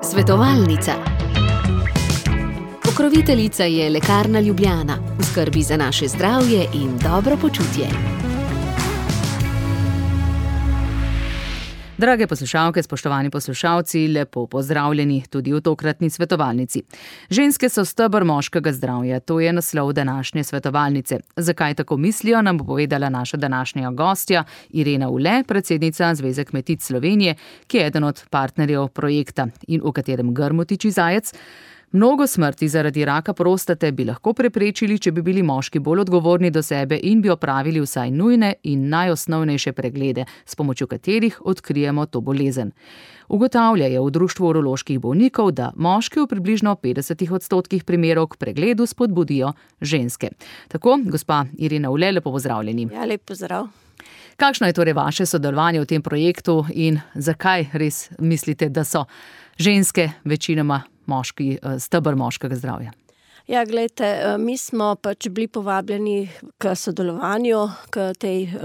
Svetovalnica. Pokroviteljica je Lekarna Ljubljana, v skrbi za naše zdravje in dobro počutje. Drage poslušalke, spoštovani poslušalci, lepo pozdravljeni tudi v tokratni svetovalnici. Ženske so steber moškega zdravja, to je naslov današnje svetovalnice. Zakaj tako mislijo, nam bo povedala naša današnja gostja Irena Ule, predsednica Zveze kmetic Slovenije, ki je eden od partnerjev projekta in v katerem grmu tiči zajec. Mnogo smrti zaradi raka prostate bi lahko preprečili, če bi bili moški bolj odgovorni do sebe in bi opravili vsaj nujne in najosnovnejše preglede, s pomočjo katerih odkrijemo to bolezen. Ugotavljajo v Društvu uroloških bolnikov, da moški v približno 50% primerov k pregledu spodbudijo ženske. Tako, gospa Irena Ule, lepo pozdravljeni. Ja, lep pozdrav. Kakšno je torej vaše sodelovanje v tem projektu in zakaj res mislite, da so ženske večinoma steber moškega zdravja? Ja, glejte, mi smo bili povabljeni k sodelovanju,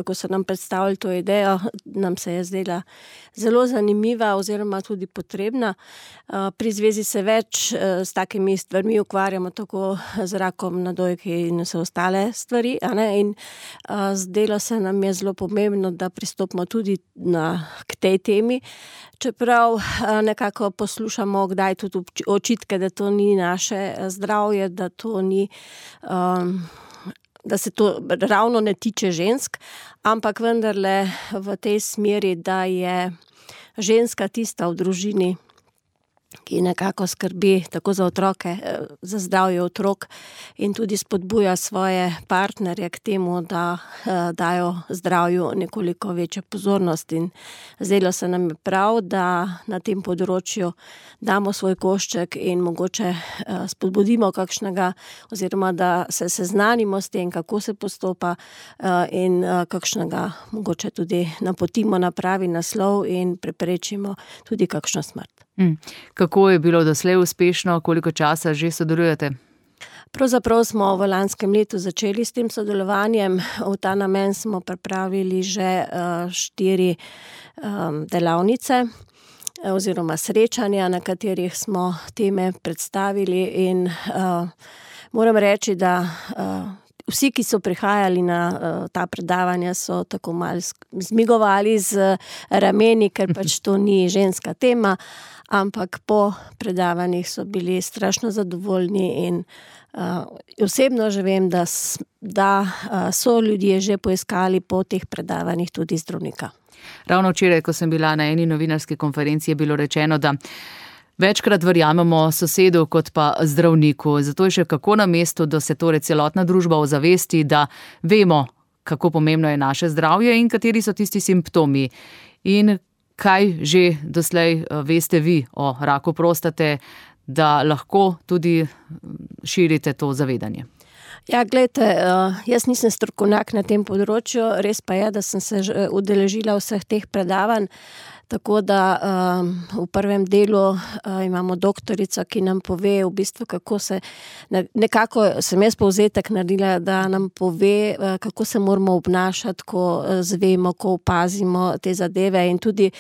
ko so nam predstavili to idejo, nam se je zdela zelo zanimiva oziroma tudi potrebna. Pri zvezi se več s takimi stvarmi ukvarjamo, tako z rakom na dojki in vse ostale stvari, in zdelo se nam je zelo pomembno, da pristopimo tudi k tej temi, čeprav nekako poslušamo kdaj tudi očitke, da to ni naše zdravje, da to ni, da se to ravno ne tiče žensk, ampak vendarle v tej smeri, da je ženska tista v družini, ki nekako skrbi tako za otroke, za zdravje otrok in tudi spodbuja svoje partnerje k temu, da dajo zdravju nekoliko večjo pozornost. In zdelo se nam je prav, da na tem področju damo svoj košček in mogoče spodbudimo kakšnega, oziroma da se seznanimo s tem, kako se postopa in kakšnega mogoče tudi napotimo na pravi naslov in preprečimo tudi kakšno smrt. Kako je bilo doslej uspešno, koliko časa že sodelujete? Pravzaprav smo v lanskem letu začeli s tem sodelovanjem. V ta namen smo pripravili že 4 delavnice oziroma srečanja, na katerih smo teme predstavili in moram reči, da vsi, ki so prihajali na ta predavanja, so tako malo zmigovali z rameni, ker pač to ni ženska tema, ampak po predavanjih so bili strašno zadovoljni in osebno že vem, da so ljudje že poiskali po teh predavanjih tudi zdravnika. Ravno včeraj, ko sem bila na eni novinarski konferenci, je bilo rečeno, da večkrat verjamemo sosedu kot pa zdravniku. Zato je še kako na mestu, da se torej celotna družba ozavesti, da vemo, kako pomembno je naše zdravje in kateri so tisti simptomi. In kaj že doslej veste vi o raku prostate, da lahko tudi širite to zavedanje? Ja, gledajte, jaz nisem strokovnjak na tem področju, res pa je, da sem se udeležila vseh teh predavanj, tako da v prvem delu imamo doktorico, ki nam pove v bistvu, kako se, nekako sem jaz povzetek naredila, da nam pove, kako se moramo obnašati, ko zvemo, ko opazimo te zadeve in tudi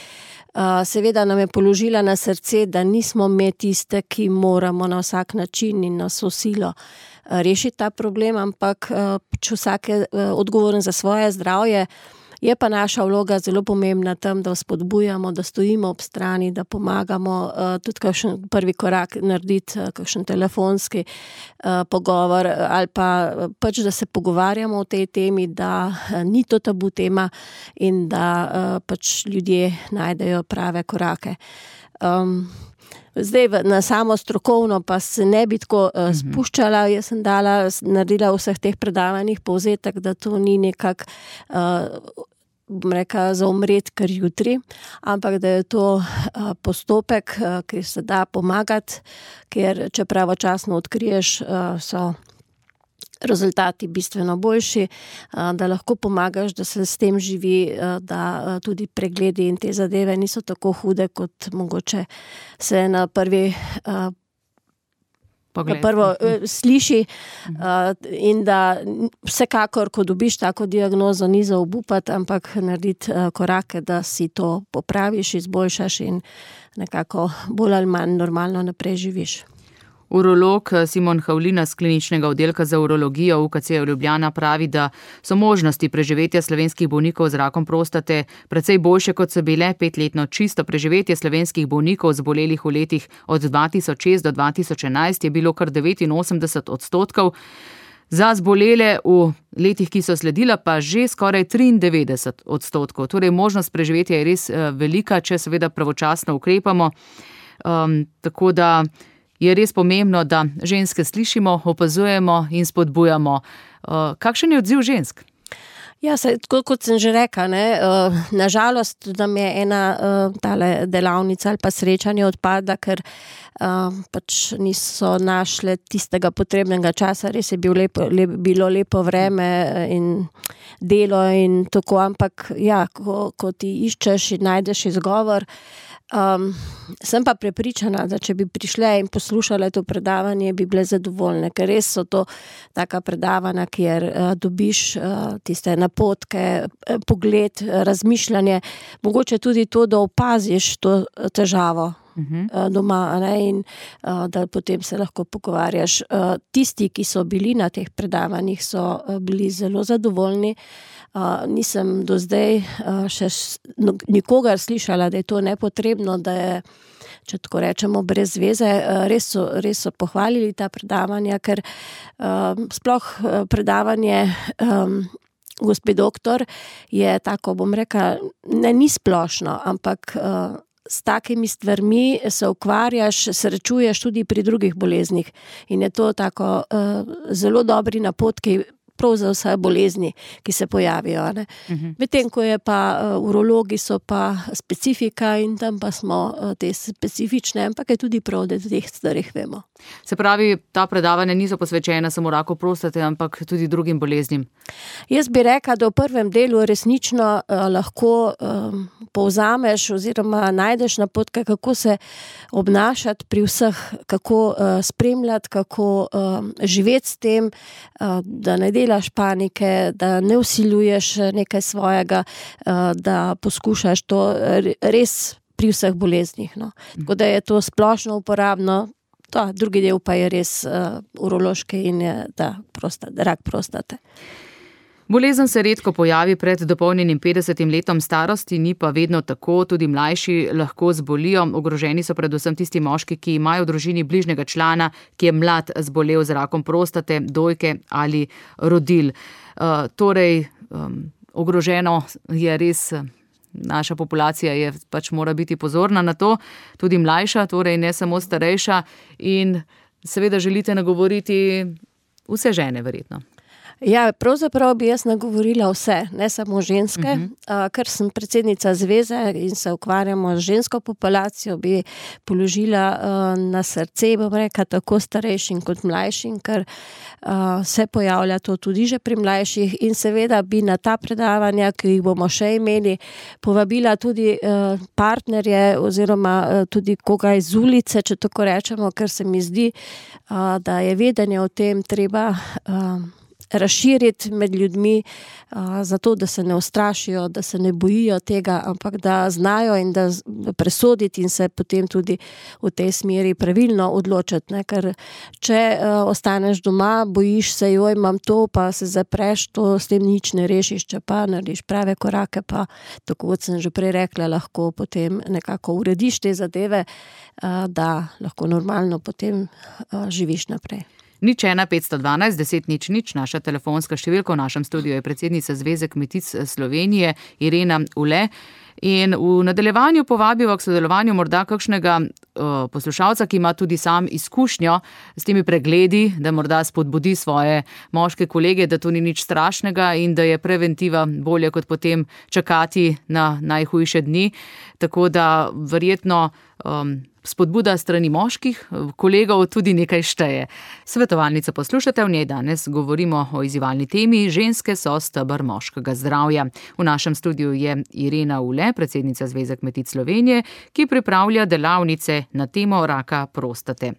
seveda nam je položila na srce, da nismo mi tiste, ki moramo na vsak način in na vso silo rešiti ta problem, ampak če vsak je odgovoren za svoje zdravje, je pa naša vloga zelo pomembna tam, da spodbujamo, da stojimo ob strani, da pomagamo tudi kakšen prvi korak narediti, kakšen telefonski pogovor ali pa pač, da se pogovarjamo o tej temi, da ni to tabu tema in da pač ljudje najdejo prave korake. Zdaj na samo strokovno pa se ne bi tako spuščala, jaz sem naredila v vseh teh predavanjih povzetek, da to ni nekak za umret kar jutri, ampak da je to postopek, ki se da pomagati, ker če pravočasno odkriješ, so rezultati bistveno boljši, da lahko pomagaš, da se s tem živi, da tudi pregledi in te zadeve niso tako hude, kot mogoče se na prvi prvo sliši in da vsekakor, ko dobiš tako diagnozo, ni za obupati, ampak narediti korake, da si to popraviš, izboljšaš in nekako bolj ali manj normalno naprej živiš. Urolog Simon Havlina z kliničnega oddelka za urologijo UKC Ljubljana pravi, da so možnosti preživetja slovenskih bolnikov z rakom prostate precej boljše, kot so bile. 5-letno čisto preživetje slovenskih bolnikov zbolelih v letih od 2006 do 2011 je bilo kar 89%. Za zbolele v letih, ki so sledila, pa že skoraj 93%. Torej, možnost preživetja je res velika, če seveda pravočasno ukrepamo. Tako da je res pomembno, da ženske slišimo, opazujemo in spodbujamo. Kakšen je odziv žensk? Ja, tako kot sem že rekla, nažalost nam je ena tale delavnica ali pa srečanje odpada, ker pač niso našle tistega potrebnega časa, res je bilo lepo vreme in delo in tako, ampak ja, ko ti iščeš in najdeš izgovor, sem pa prepričana, da če bi prišle in poslušale to predavanje, bi bile zadovoljne, ker res so to taka predavanja, kjer dobiš tiste napotke, pogled, razmišljanje, mogoče tudi to, da opaziš to težavo doma, in da potem se lahko pogovarjaš. Tisti, ki so bili na teh predavanjih, so bili zelo zadovoljni. Nisem do zdaj še nikogar slišala, da je to nepotrebno, da je, če tako rečemo, brez veze. Res so pohvalili ta predavanja, ker sploh predavanje gospe doktor je tako, bom rekla, ni splošno, ampak s takimi stvarmi se ukvarjaš, srečuješ tudi pri drugih boleznih in je to tako zelo dobri napotki prav za vse bolezni, ki se pojavijo. Medtem, ko je pa urologi so pa specifika in tam pa smo te specifične, ampak je tudi prav, da teh stvarih vemo. Se pravi, ta predavanja niso posvečena samo raku prostate, ampak tudi drugim boleznim? Jaz bi rekla, da v prvem delu resnično lahko povzameš oziroma najdeš napotke, kako se obnašati pri vseh, kako spremljati, kako živeti s tem, da ne delaš panike, da ne vsiljuješ nekaj svojega, da poskušaš to res pri vseh boleznih. Tako da je to splošno uporabno. Drugi del pa je res urološki in je rak prostate. Bolezen se redko pojavi pred dopolnjenim 50 letom starosti, ni pa vedno tako, tudi mlajši lahko zbolijo. Ogroženi so predvsem tisti moški, ki imajo v družini bližnjega člana, ki je mlad zbolel z rakom prostate, dojke ali rodil. Torej, ogroženo je res, naša populacija je pač mora biti pozorna na to, tudi mlajša, torej ne samo starejša, in seveda želite nagovoriti vse žene verjetno. Ja, pravzaprav bi jaz nagovorila vse, ne samo ženske, ker sem predsednica zveze in se ukvarjamo z žensko populacijo, bi položila na srce, bom rekla, tako starejšim kot mlajšim, ker se pojavlja to tudi že pri mlajših in seveda bi na ta predavanja, ki jih bomo še imeli, povabila tudi partnerje oziroma tudi koga iz ulice, če tako rečemo, ker se mi zdi, da je vedenje o tem treba razširiti med ljudmi, zato da se ne ustrašijo, da se ne bojijo tega, ampak da znajo in da presoditi in se potem tudi v tej smeri pravilno odločiti. Ker če ostaneš doma, bojiš se, imam to, pa se zapreš, to s tem nič ne rešiš, če pa narediš prave korake, pa tako kot sem že prej rekla, lahko potem nekako urediš te zadeve, da lahko normalno potem živiš naprej. 01 512 10 00, naša telefonska številka, v našem studiu je predsednica Zveze kmetic Slovenije Irena Ule. In v nadaljevanju povabiva k sodelovanju morda kakšnega poslušalca, ki ima tudi sam izkušnjo s temi pregledi, da morda spodbudi svoje moške kolege, da to ni nič strašnega in da je preventiva bolje kot potem čakati na najhujše dni. Tako da verjetno spodbuda strani moških kolegov tudi nekaj šteje. Svetovalnico poslušate, v njej danes govorimo o izzivalni temi Ženske so steber moškega zdravja. V našem studiu je Irena Ule, predsednica Zveze kmetic Slovenije, ki pripravlja delavnice na temo raka prostate.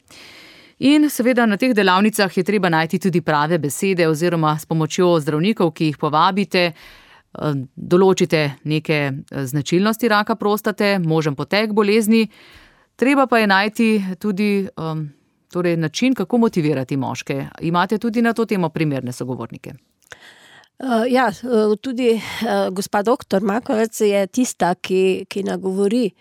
In seveda na teh delavnicah je treba najti tudi prave besede oziroma s pomočjo zdravnikov, ki jih povabite, določite neke značilnosti raka prostate, možen potek bolezni. Treba pa je najti tudi način, kako motivirati moške. Imate tudi na to temo primerne sogovornike? Tudi gospa doktor Makovec je tista, ki nagovori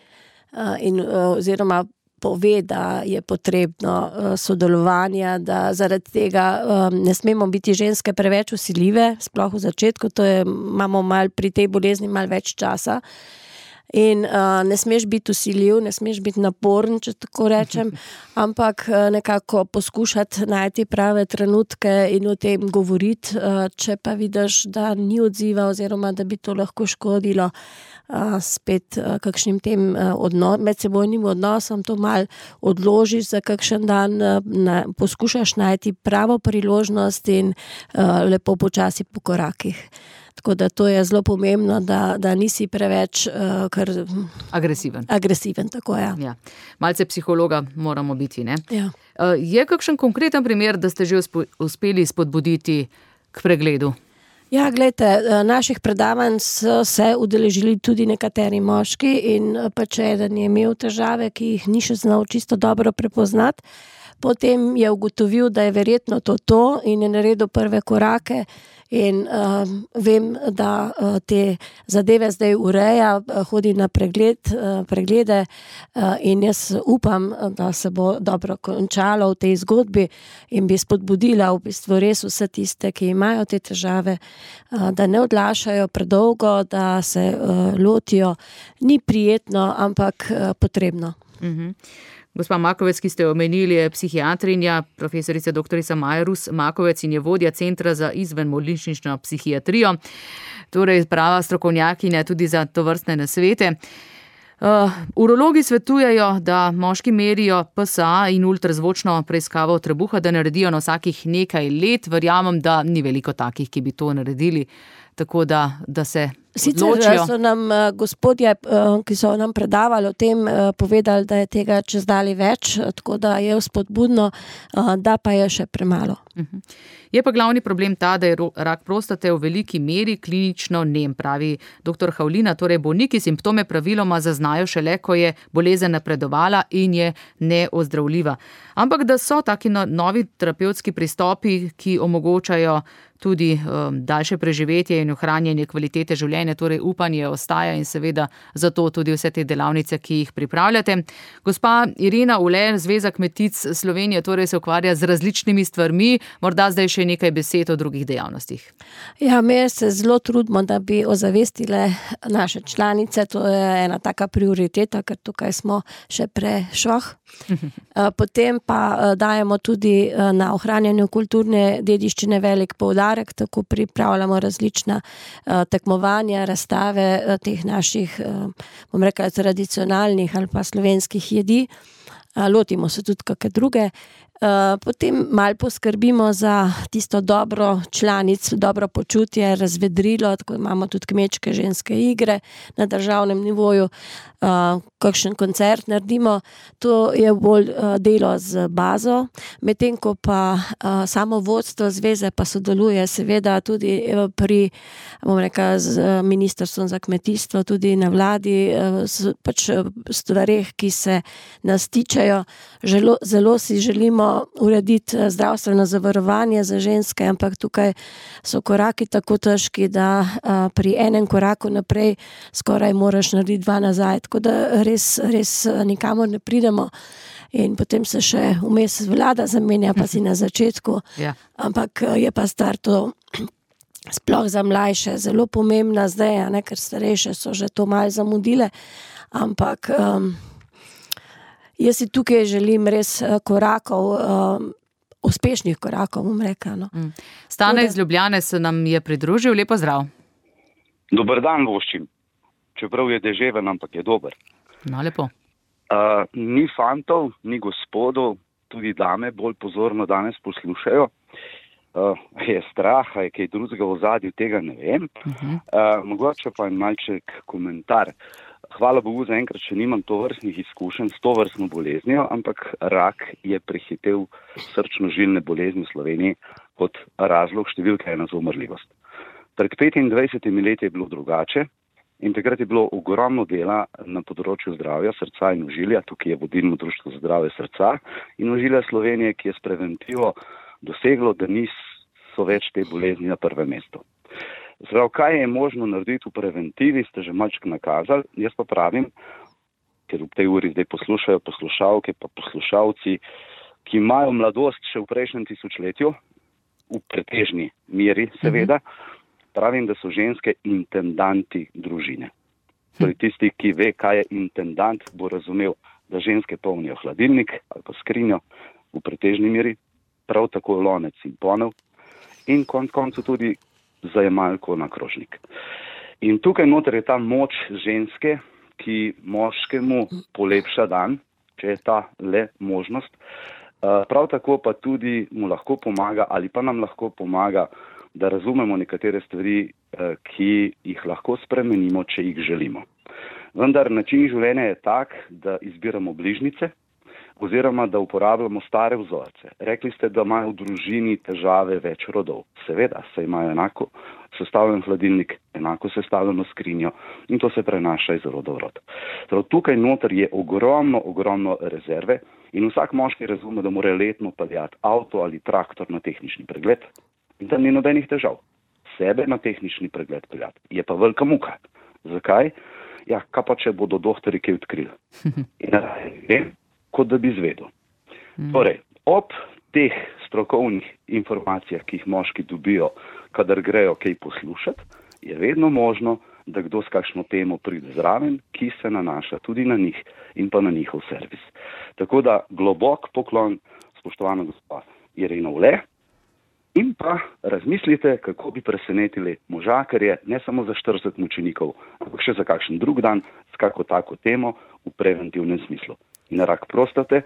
oziroma pove, da je potrebno sodelovanja, da zaradi tega ne smemo biti ženske preveč vsiljive, sploh v začetku, imamo pri tej bolezni malo več časa. In ne smeš biti vsiljiv, ne smeš biti naporen, če tako rečem, ampak nekako poskušati najti prave trenutke in o tem govoriti, če pa vidiš, da ni odziva oziroma da bi to lahko škodilo spet kakšnim tem medsebojnim odnosom, to malo odložiš za kakšen dan, poskušaš najti pravo priložnost in lepo počasi po korakih. Tako da to je zelo pomembno, da nisi preveč agresiven, tako je. Ja. Malce psihologa moramo biti, ne? Ja. Je kakšen konkreten primer, da ste že uspeli spodbuditi k pregledu? Ja, glejte, naših predavanj so se udeležili tudi nekateri moški in če eden je imel težave, ki jih ni še znal čisto dobro prepoznati, potem je ugotovil, da je verjetno to in je naredil prve korake. In vem, da te zadeve zdaj ureja, hodi na preglede in jaz upam, da se bo dobro končalo v tej zgodbi in bi spodbudila v bistvu res vse tiste, ki imajo te težave, da ne odlašajo predolgo, da se lotijo. Ni prijetno, ampak potrebno. Gospa Makovec, ki ste omenili, je psihiatrinja, profesorica doktorica Maja Rus Makovec in je vodja Centra za izvenbolnišnično psihiatrijo, torej prava strokovnjakinja tudi za tovrstne nasvete. Urologi svetujejo, da moški merijo PSA in ultrazvočno preiskavo trebuha, da naredijo na vsakih nekaj let. Verjamem, da ni veliko takih, ki bi to naredili, tako da se odločijo. Sicer so nam gospodje, ki so nam predavali o tem, povedali, da je tega čezdalje več, tako da je vzpodbudno, da pa je še premalo. Je pa glavni problem ta, da je rak prostate v veliki meri klinično nem, pravi dr. Havlina, torej bolniki simptome praviloma zaznajo šele, ko je bolezen napredovala in je neozdravljiva. Ampak da so taki novi terapevtski pristopi, ki omogočajo tudi daljše preživetje in ohranjanje kvalitete življenja, torej upanje ostaja in seveda zato tudi vse te delavnice, ki jih pripravljate. Gospa Irena Ule, Zveza kmetic Slovenije, torej se ukvarja z različnimi stvarmi, morda zdaj še nekaj besed o drugih dejavnostih. Ja, mi se zelo trudimo, da bi ozavestile naše članice, to je ena taka prioriteta, ker tukaj smo še prešvah. Potem pa dajemo tudi na ohranjanju kulturne dediščine velik poudarek, tako pripravljamo različna tekmovanja, razstave teh naših, bom rekla, tradicionalnih ali pa slovenskih jedi. Lotimo se tudi kakšne druge. Potem malo poskrbimo za tisto dobro članic, dobro počutje, razvedrilo, tako imamo tudi kmečke ženske igre na državnem nivoju, kakšen koncert naredimo, to je bolj delo z bazo, medtem ko pa samo vodstvo zveze pa sodeluje seveda tudi pri, bom rekla, z Ministrstvom za kmetijstvo, tudi na vladi, pač stvareh, ki se nas tičejo. Zelo si želimo urediti zdravstveno zavarovanje za ženske, ampak tukaj so koraki tako težki, da pri enem koraku naprej skoraj moraš narediti dva nazaj, tako da res nikamor ne pridemo in potem se še vmes vlada zamenja, pa si na začetku, ampak je pa stvar to sploh za mlajše zelo pomembna zdaj, ker starejše so že to malo zamudile, ampak jaz si tukaj želim res korakov, uspešnih korakov, bom rekla. Stane iz Ljubljane se nam je pridružil, lepo zdrav. Dober dan voščim, čeprav je deževen, ampak je dober. No, lepo. Ni fantov, ni gospodov, tudi dame bolj pozorno danes poslušajo. Je strah, je kaj drugega v ozadju, tega ne vem. Mogoče pa en malček komentar. hvala Bogu, zaenkrat še nimam tovrstnih izkušenj s tovrstno boleznijo, ampak rak je prehitel srčno-žilne bolezni v Sloveniji kot razlog številka 1 za umrljivost. Pred 25 leti je bilo drugače in takrat je bilo ogromno dela na področju zdravja srca in ožilja. Tukaj je vodilno društvo za zdravje srca in ožilja Slovenije, ki je s preventivo doseglo, da niso več te bolezni na prvem mestu. Zdaj, kaj je možno narediti v preventivi, ste že malček nakazali. Jaz pa pravim, ker v tej uri zdaj poslušajo poslušalke pa poslušalci, ki imajo mladost še v prejšnjem tisočletju, v pretežni meri seveda, pravim, da so ženske intendanti družine. Torej tisti, ki ve, kaj je intendant, bo razumel, da ženske polnijo hladilnik ali pa skrinjo v pretežni meri, prav tako lonec in ponev in koncu tudi zajemalko na krožnik. In tukaj noter je ta moč ženske, ki moškemu polepša dan, če je ta le možnost. Prav tako pa tudi mu lahko pomaga ali pa nam lahko pomaga, da razumemo nekatere stvari, ki jih lahko spremenimo, če jih želimo. Vendar način življenja je tak, da izbiramo bližnjice oziroma da uporabljamo stare vzorce. Rekli ste, da imajo v družini težave več rodov. Seveda, saj imajo enako sestavljen hladilnik, enako sestavljeno skrinjo in to se prenaša iz roda v rod. Torej, tukaj noter je ogromno rezerve in vsak moški razume, da mora letno peljati avto ali traktor na tehnični pregled in da ni nobenih težav. Sebe na tehnični pregled peljati je pa velika muka. Zakaj? Ja, kaj pa če bodo doktori kaj odkrili? In kot da bi izvedel. Torej, ob teh strokovnih informacijah, ki jih moški dobijo, kadar grejo kaj poslušati, je vedno možno, da kdo s kakšno temo pride zraven, ki se nanaša tudi na njih in pa na njihov servis. Tako da globok poklon, spoštovana gospa Irena Ule, in pa razmislite, kako bi presenetili moža, ker je ne samo za 40 mučenikov, ampak še za kakšen drug dan s kako tako temo v preventivnem smislu. In rak prostate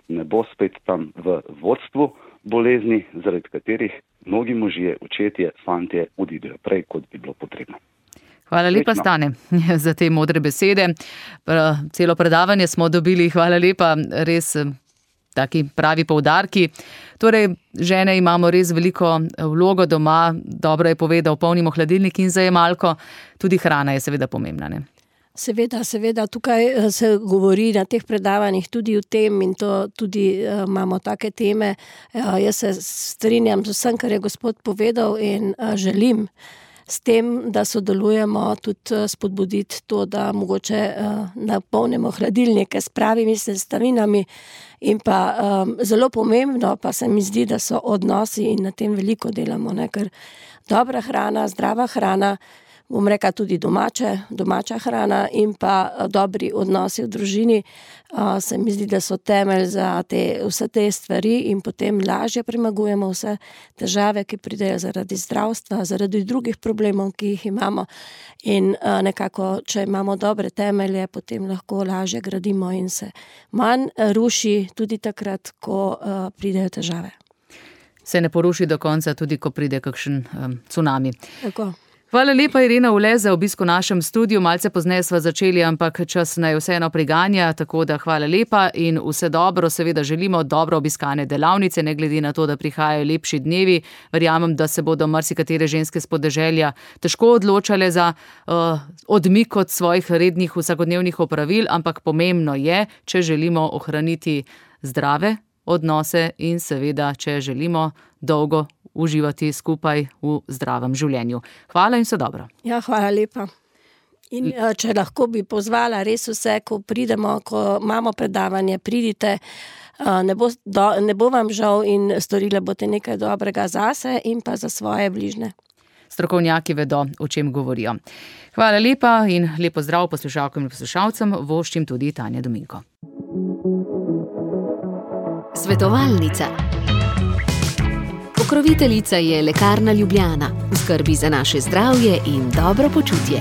ne bo spet tam v vodstvu bolezni, zaradi katerih mnogi možje, očetje, fantje odidejo prej, kot bi bilo potrebno. Hvala lepa, Stane, za te modre besede. Celo predavanje smo dobili, hvala lepa, res taki pravi poudarki. Torej, žene imamo res veliko vlogo doma, dobro je povedal, polnimo hladilnik in zajemalko, tudi hrana je seveda pomembna, ne? Seveda, tukaj se govori na teh predavanjih tudi o tem in to tudi imamo take teme. Jaz se strinjam z vsem, kar je gospod povedal in želim s tem, da sodelujemo, tudi spodbuditi to, da mogoče napolnimo hladilnike s pravimi sestavinami in pa zelo pomembno pa se mi zdi, da so odnosi in na tem veliko delamo, ne? Ker dobra hrana, zdrava hrana, bom rekla tudi domača hrana in pa dobri odnosi v družini, se mi zdi, da so temelj za vse te stvari in potem lažje premagujemo vse težave, ki pridejo zaradi zdravstva, zaradi drugih problemov, ki jih imamo in nekako, če imamo dobre temelje, potem lahko lažje gradimo in se manj ruši tudi takrat, ko pridejo težave. Se ne poruši do konca, tudi ko pride kakšen cunami. Tako. Hvala lepa, Irena Ule, za obisk v našem studiu. Malce pozneje sva začeli, ampak čas naj vseeno priganja, tako da hvala lepa in vse dobro. Seveda želimo dobro obiskane delavnice, ne glede na to, da prihajajo lepši dnevi. Verjamem, da se bodo marsikatere ženske s podeželja težko odločale za odmik od svojih rednih vsakodnevnih opravil, ampak pomembno je, če želimo ohraniti zdrave odnose in seveda, če želimo dolgo uživati skupaj v zdravem življenju. Hvala in vse dobro. Ja, hvala lepa. In če lahko bi pozvala res vse, ko pridemo, ko imamo predavanje, pridite, ne bo vam žal in storile boste nekaj dobrega zase in pa za svoje bližne. Strokovnjaki vedo, o čem govorijo. Hvala lepa in lepo zdrav poslušalkam in poslušalcem, voščim tudi Tanja Dominko. Svetovalnica. Pokroviteljica je Lekarna Ljubljana, v skrbi za naše zdravje in dobro počutje.